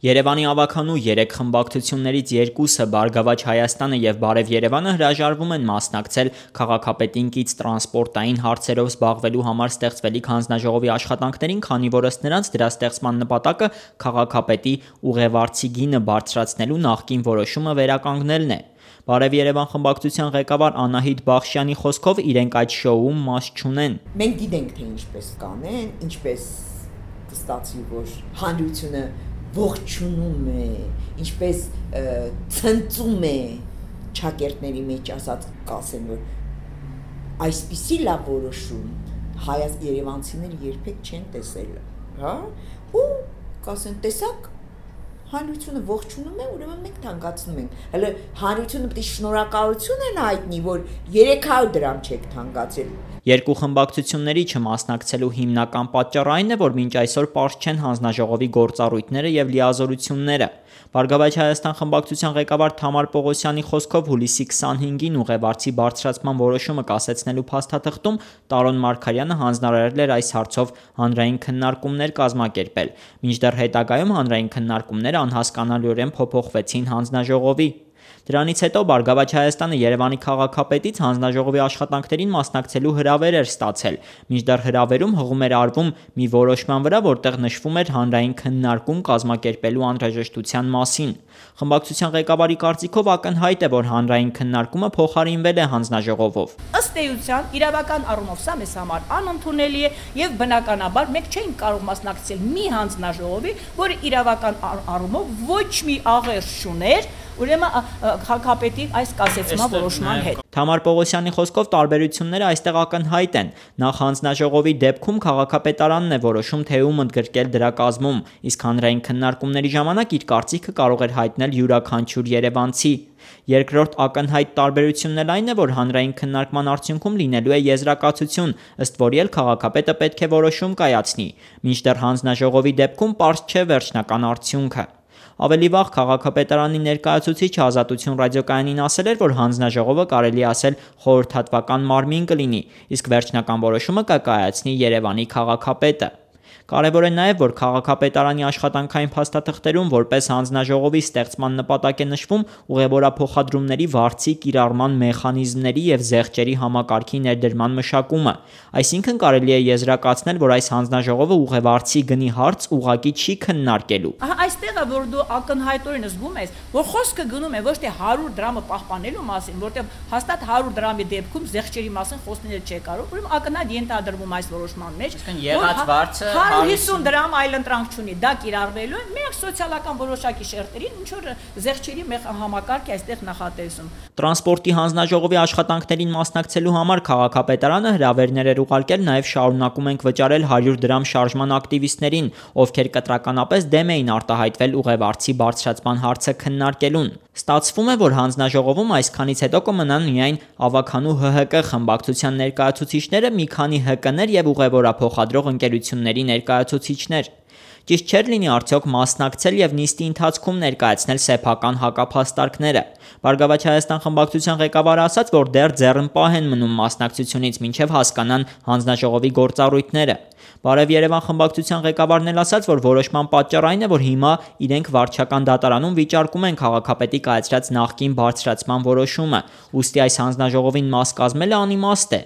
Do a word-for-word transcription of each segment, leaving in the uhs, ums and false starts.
Երևանի ավագանու երեք խմբակցություններից երկուսը՝ Բարգավաճ Հայաստանը և Բարև Երևանը, հրաժարվում են մասնակցել քաղաքապետին կից տրանսպորտային հարցերով զբաղվելու համար ստեղծվելիք հանձնաժողովի աշխատանքներին, քանի որ ըստ նրանց դրա ստեղծման նպատակը քաղաքապետի ուղևարձի գինը բարձրացնելու նախկին որոշումը վերականգնելն է։ Բարև Երևան խմբակցության ղեկավար Անահիտ Բախշյանի խոսքով իրենք այդ շոուում մաս չունեն։ Մենք գիտենք, թե ինչպես կանեն, ինչպես կստացվի, որ հանրությունը ողջունում է, ինչպես ցնծում է ճակերտների մեջ ասած, կասեն, որ այսպիսի լավ որոշում հայաց երևանցիները երբեք չեն տեսել, հա, ու կասեն, տեսակ, հանրությունը ողջունում է, ուրեմն մենք թանկացնում ենք։ Հələ հանրությունը պետք է շնորհակալություն են հայտնի, որ երեք հարյուր դրամ չեք թանկացել։ Երկու խմբակցությունների չմասնակցելու հիմնական պատճառը այն է, որ մինչ այսօր պարզ չեն հանձնաժողովի գործառույթները և լիազորությունները։ Բարգավաճ Հայաստան խմբակցության ղեկավար Թամար Պողոսյանի խոսքով հուլիսի քսանհինգին ուղևարձի բարձրացման որոշումը կասեցնելու փաստաթղթում Տարոն Մարգարյանը հանձնարարել էր այս հարցով հանրային քննարկումներ կազմակերպել, մինչդեռ հետագայում հանրային քննարկումները անհասկանալիորեն փոփոխվեցին հանձնաժողովի։ Դրանից հետո Բարգավաճ Հայաստանը Երևանի քաղաքապետից հանձնաժողովի աշխատանքներին մասնակցելու հրավեր էր ստացել, մինչդեռ հրավերում հղում էր արվում մի որոշման վրա, որտեղ նշվում էր հանրային քննարկում կազմակերպելու անհրաժեշտության մասին։ Խմբակցության ղեկավարի կարծիքով ակնհայտ է, որ հանրային քննարկումը փոխարինվել է հանձնաժողովով։ Ըստ էության իրավական առումով սա մեզ համար անընդունելի է եւ բնականաբար մենք չէինք կարող մասնակցել մի հանձնաժողովի, որը իրավական առումով ոչ մի աղերս չուներ, ուրեմն քաղաքապետի այս կասեցման որոշման հետ։ Թամար Պողոսյանի խոսքով տարբերությունները այստեղ ակնհայտ են։ Նախ հանձնաժողովի դեպքում քաղաքապետարանն է որոշում, թե ում ընդգրկել դրա կազմում, իսկ հանրային քննարկումների ժամանակ իր կարծիքը կարող էր հայտնել յուրաքանչյուր երևանցի։ Երկրորդ ակնհայտ տարբերությունն էլ այն է, որ հանրային քննարկման արդյունքում լինելու է եզրակացություն, ըստ որի էլ քաղաքապետը պետք է որոշում կայացնի, մինչդեռ հանձնաժողովի դեպքում պարզ չէ վերջնական արդյունքը։ Ավելի վաղ քաղաքապետարանի ներկայացուցիչը Ազատություն ռադիոկայանին ասել էր, որ հանձնաժողովը կարելի ասել խորհրդատվական մարմին կլինի, իսկ վերջնական որոշումը կկայացնի Երևանի քաղաքապետը։ Կարևոր է նաև, որ քաղաքապետարանի աշխատանքային փաստաթղթերում որպես հանձնաժողովի ստեղծման նպատակ է նշվում ուղևորափոխադրումների վարձի կիրառման մեխանիզմների և զեղչերի համակարգի ներդրման մշակումը, այսինքն կարելի է եզրակացնել, որ այս հանձնաժողովը ուղևարձի գնի հարց ուղղակի չի քննարկելու։ Ահա այստեղ է, որ դու ակնհայտորեն զգում ես, որ խոսքը գնում է ոչ թե հարյուր դրամը պահպանելու մասին, որտեղ հաստատ հարյուր դրամի դեպքում զեղչերի մասին խոսնել չէ կարող, ուրեմն ակնհայտ ենթադրվում այս որոշման մեջ, եղած վարձը հիսուն դրամ այլընտրանք չունի, դա կիրառվելու է միակ սոցիալական որոշակի շերտերին, ինչ որ զեղչերի համակարգ է այստեղ նախատեսում։ Տրանսպորտի հանձնաժողովի աշխատանքներին մասնակցելու համար քաղաքապետարանը հրավերներ էր ուղարկել, նաև շարունակում ենք վճարել հարյուր դրամ շարժման ակտիվիստներին, ովքեր կտրականապես դեմ էին արտահայտվել ուղևարձի բարձրացման հարցը քննարկելուն։ Ստացվում է, որ հանձնաժողովում այսքանից հետո կմնան միայն ավագանու Հ Հ Կ խմբակցության ներկայացուցիչները, մի քանի Հ Կ-ներ և ուղևորափոխադրող ընկերությունների ներկայացուցիչներ։ Ճիշտ չէր լինի արդյոք մասնակցել և նիստի ընթացքում ներկայացնել սեփական հակափաստարկները։ Բարգավաճ Հայաստան խմբակցության ղեկավարը ասաց, որ դեռ ձեռնպահ են մնում մասնակցությունից, մինչև հասկանան հանձնաժողովի գործառույթները։ Բարև Երևան խմբակցության ղեկավարն էլ ասաց, որ որոշման պատճառ այն է, որ հիմա իրենք վարչական դատարանում վիճարկում են քաղաքապետի կայացրած նախկին բարձրացման որոշումը, ուստի այս հանձնաժողովին մաս կազմելը անիմաստ է։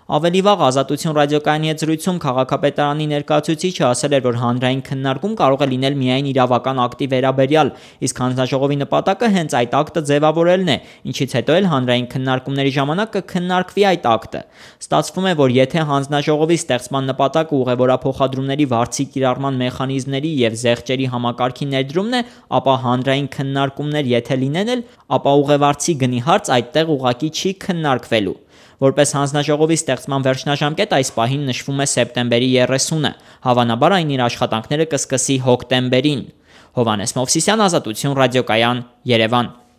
Ավելի վաղ Ազատություն ռադիոկայանի հետ զրույցում քաղաքապետարանի ներկայացուցիչը ասել էր, որ հանրային քննարկում կարող է լինել միայն իրավական ակտի վերաբերյալ, իսկ հանձնաժողովի նպատակը հենց այդ ակտը ձևավորելն է, ինչից հետո էլ հանրային քննարկումների ժամանակ կքննարկվի այդ ակտը։ Ստացվում է, որ եթե հանձնաժողովի ստեղծման նպատակը ուղևորափոխադրումների վարձի կիրառման մեխանիզմների և զեղչերի համակարգի ներդրումն է, ապա հանրային քննարկումներ եթե լինեն էլ, ապա ուղևարձի գնի հարց այդտեղ ուղղակի չի քննարկվելու։ Որպես հանձնաժողովի ստեղծման վերջնաժամկետ այս պահին նշվում է սեպտեմբերի երեսունը, հավանաբար այն իր աշխատանքները կսկսի հոկտեմբերին։ Հովհաննես Մովսիսյան, Ազատություն ռադիոկայան, Երևան։